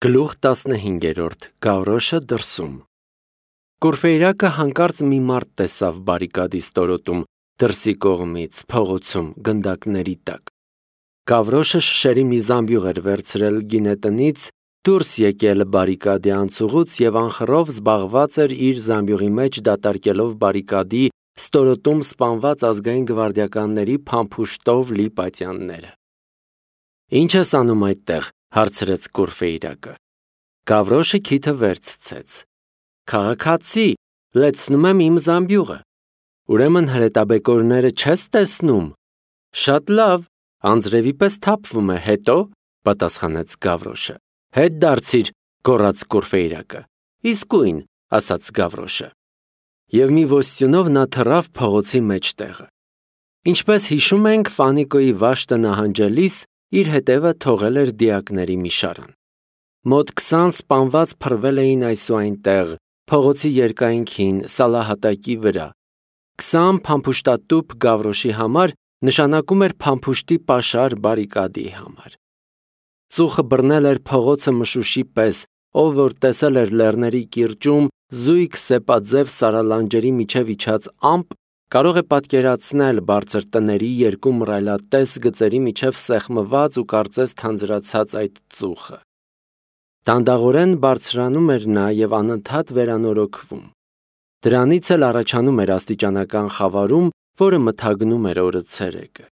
Գլուխ 15 Գավրոշը դրսում Կուրֆեյրակը հանկարծ մի մարդ տեսավ բարիկադի ստորոտում, դրսի կողմից, փողոցում, գնդակների տակ։ Գավրոշը շշերի մի զամբյուղ էր վերցրել գինետնից, դուրս եկել բարիկադի անցուղուց և անխռով զբաղված էր իր զամբյուղի մեջ դատարկելով բարիկադի ստորոտում սպանված ազգային գվարդիականների փամփուշտով լի պատյանները։ Ինչ ես անում այդտեղ, հարցրեց Կուրֆեյրակը։ Գավրոշը քիթը վերցրեց։ Քաղաքացի, լեցնում եմ իմ զամբյուղը։ Ուրեմն հրետաբեկորները չես տեսնում։ Շատ լավ, անձրևի պես թափվում է, հետո, պատասխանեց Գավրոշը։ Հետ դարձիր, գոռաց Կուրֆեյրակը։ Իսկույն, ասաց Գավրոշը։ Եվ մի ոստյունով նա թռավ փողոցի մեջտեղը։ Ինչպես հիշում ենք, Ֆանիկոյի վաշտը նահանջելիս իր հետևը թողել էր դիակների մի շարան։ Մոտ 20 սպանված փռվել էին այսուայնտեղ, փողոցի երկայնքին, սալահատակի վրա։ 20 փամփուշտատուփ Գավրոշի համար նշանակում էր փամփուշտի պաշար բարիկադի համար։ Ծուխը բռնել էր փողոցը մշուշի պես, ով որ տեսել էր լեռների կիրճում զույգ սեպաձև սարալանջերի միջև իջած ամպ, կարող է պատկերացնել բարձր տների երկու մռայլատես գծերի միջև սեղմված ու կարծես թանձրացած այդ ծուխը։ Դանդաղորեն բարձրանում էր նա և անընդհատ վերանորոգվում։ Դրանից էլ առաջանում էր աստիճանական խավարում, որը մթագնում էր օրը ցերեկը։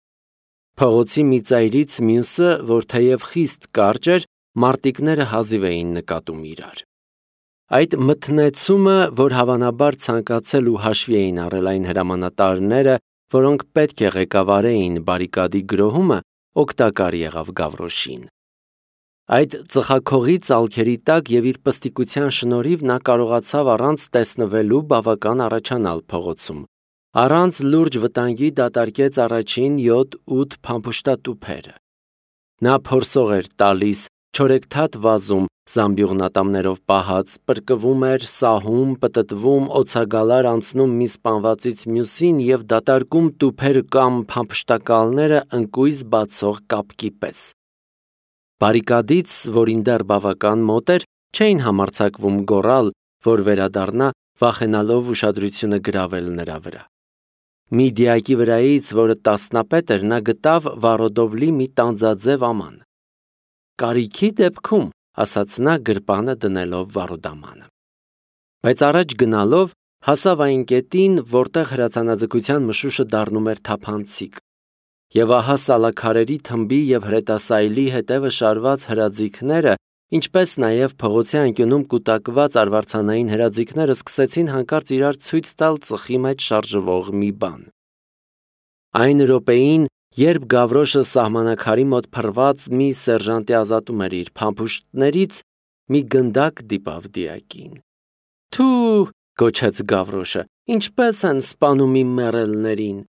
Փողոցի մի ծայրից մյուսը, որ թեև խիստ կարճ էր, մարտիկները հազիվ էին նկատում իրար։ Այդ մթնեցումը, որ հավանաբար ցանկացել ու հաշվի էին առել այն հրամանատարները, որոնք պետք է ղեկավարեին բարիկադի գրոհումը, օգտակար եղավ Գավրոշին։ Այդ ծխաքողի ծալքերի տակ և իր պստիկության շնորհիվ նա կարողացավ առանց տեսնվելու բավական առաջանալ փողոցում։ Առանց լուրջ վտանգի դատարկեց առաջին 7-8 փամփուշտատուփերը։ Նա փորսող էր տալիս, չորեքթաթ վազում, զամբյուղն ատամներով պահած, պրկվում էր, սահում, պտտվում, օձագալար անցնում մի սպանվածից մյուսին և դատարկում տուփերը կամ փամփշտակալները ընկույզ բացող կապկի պես։ Բարիկադից, որին դեռ բավական մոտ էր, չէին համարձակվում գոռալ, որ վերադառնա, վախենալով ուշադրությունը գրավել նրա վրա։ Մի դիակի վրայից, որը տասնապետ էր, նա գտավ վառոդով լի մի տանձաձև աման։ Կարիքի դեպքում, ասաց նա գրպանը դնելով վառոդամանը։ Բայց առաջ գնալով հասավ այն կետին, որտեղ հրացանաձգության մշուշը դառնում էր թափանցիկ։ Եվ ահա սալաքարերի թմբի և հրետասայլի հետևը շարված հրաձիգները, ինչպես նաև փողոցի անկյունում կուտակված արվարձանային հրաձիգները սկսեցին հանկարծ իրար ցույց տալ ծխի մեջ շարժվող մի բան։ Այն րոպեին, երբ Գավրոշը սահմանակարի մոտ փռված մի սերժանտի ազատում էր իր փամփուշտներից, մի գնդակ դիպավ դիակին։ Թու, գոչեց Գավրոշը, ինչպես են սպանում իմ մեռելներին։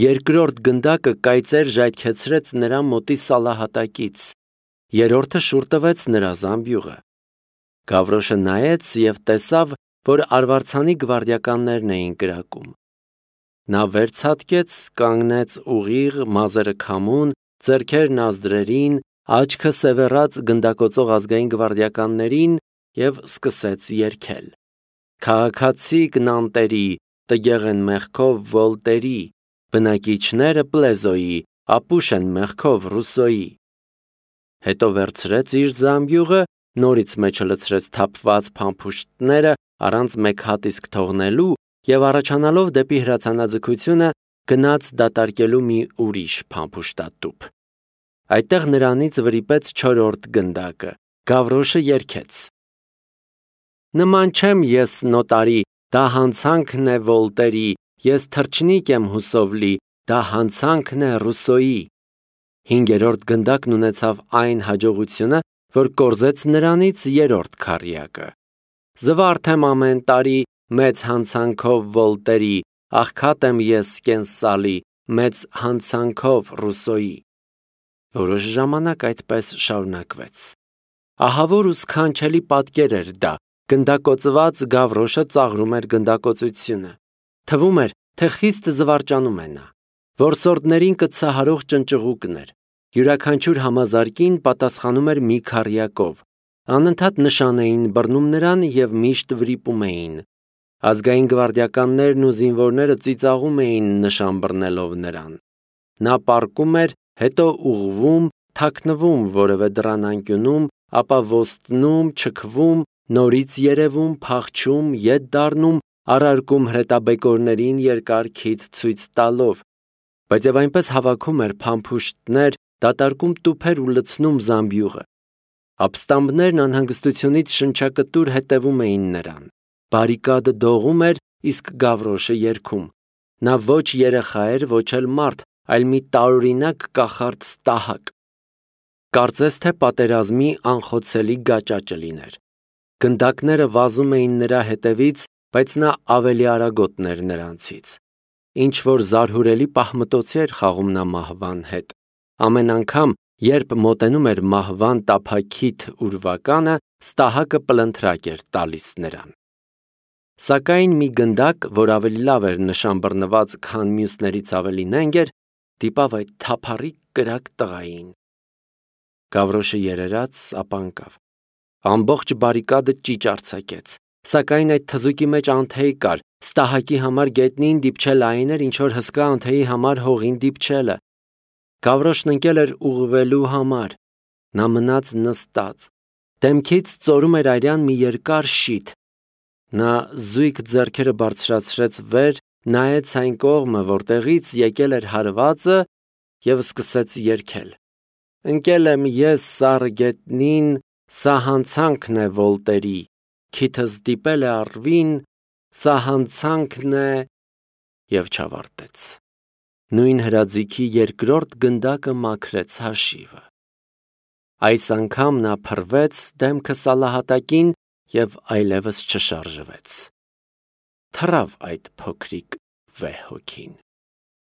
Երկրորդ գնդակը կայծեր ժայթքեցրեց նրա մոտի սալահատակից, երրորդը շուռ տվեց նրա զամբյուղը։ Գավրոշը նայեց և տեսավ, որ արվարձանի գվարդիականներն էին կրակում։ Նա վերցատկեց, կանգնեց ուղիղ, մազերը քամուն, ձեռքերն ազդրերին, աչքը սևեռած գնդակոծող ազգային գվարդիականներին և սկսեց երգել. Քաղաքացիք Նանտերի, տգեղ են մեղքով Վոլտերի, բնակիչները Պլեզոյի, ապուշ են մեղքով Ռուսոյի։ Հետո վերցրեց իր զամբյուղը, նորից մեջը լցրեց թափված փամփուշտները առանց մեկ հատ իսկ թողնելու և առաջանալով դեպի հրացանաձգությունը գնաց դատարկելու մի ուրիշ փամփուշտատուփ։ Այդտեղ նրանից վրիպեց չորրորդ գնդակը։ Գավրոշը երգեց. Նման չեմ ես նոտարի, դա հանցանքն է Վոլտերի, ես թռչնիկ եմ հուսով լի, դա հանցանքն է Ռուսոյի։ Հինգերորդ գնդակն ունեցավ այն հաջողությունը, որ կորզեց նրանից երրորդ քառյակը։ Զվարթ եմ ամեն տարի, մեծ հանցանքով Վոլտերի, աղքատ եմ ես կենսալի, մեծ հանցանքով Ռուսոյի։ Որոշ ժամանակ այդպես շարունակվեց։ Ահավոր ու սքանչելի պատկեր էր դա, գնդակոծված Գավրոշը ծաղրում էր գնդակոծությունը։ Թվում էր, թե խիստ զվարճանում է նա։ Որսորդներին կծահարող ճնճղուկն էր։ Յուրաքանչյուր համազարկին պատասխանում էր մի քառյակով։ Անընդհատ նշան էին բռնում նրան և միշտ վրիպում էին։ Ազգային գվարդիականներն ու զինվորները ծիծաղում էին նշան բռնելով նրան։ Նա պառկում էր, հետո ուղղվում, թաքնվում որևէ դռան անկյունում, ապա ոստնում, չքվում, նորից երևում, փախչում, ետ դառնում, առարկում հրետաբեկորներին երկար քիթ ցույց տալով, բայց և այնպես հավաքում էր փամփուշտներ, դատարկում տուփեր ու լցնում զամբյուղը։ Ապստամբներն անհանգստությունից շնչակտուր հետևում էին նրան։ Բարիկադը դողում էր, իսկ Գավրոշը երգում։ Նա ոչ երեխա էր, ոչ էլ մարդ, այլ մի տարօրինակ կախարդ ստահակ։ Կարծես թե պատերազմի անխոցելի գաճաճը լիներ։ Գնդակները վազում էին նրա հետևից, բայց նա ավելի արագոտն էր նրանցից։ Ինչ-որ զարհուրելի պահմտոցի էր խաղում նա մահվան հետ։ Ամեն անգամ, երբ մոտենում էր մահվան տափաքիթ ուրվականը, ստահակը պլընթրակ էր տալիս նրան։ Սակայն մի գնդակ, որ ավելի լավ էր նշան բռնված, քան մյուսներից ավելի նենգ էր, դիպավ այդ թափառիկ կրակ տղային։ Գավրոշը երերաց, ապա ընկավ։ Ամբողջ բարիկադը ճիճ արձակեց, սակայն այդ թզուկի մեջ անթեյ կար, ստահակի համար գետնին դիպչել այն էր, ինչ որ հսկա անթեյի համար հողին դիպչելը։ Գավրոշն ընկել էր ուղղվելու համար։ Նա մնաց նստած։ Դեմքից ծորում էր արյան մի երկար շիթ։ Նա զույգ ձեռքերը բարձրացրեց վեր, նայեց այն կողմը, որտեղից եկել էր հարվածը, և սկսեց երգել. «Ընկել եմ ես սառը գետնին, սա հանցանքն է Վոլտերի, քիթս դիպել է առվին, սա հանցանքն է», և չավարտեց։ Նույն հրաձիգի երկրորդ գնդակը մաքրեց հաշիվը։ Այս անգամ նա փռվեց դեմքը սալահատակին և այլևս չշարժվեց։ Թռավ այդ փոքրիկ վեհ հոգին։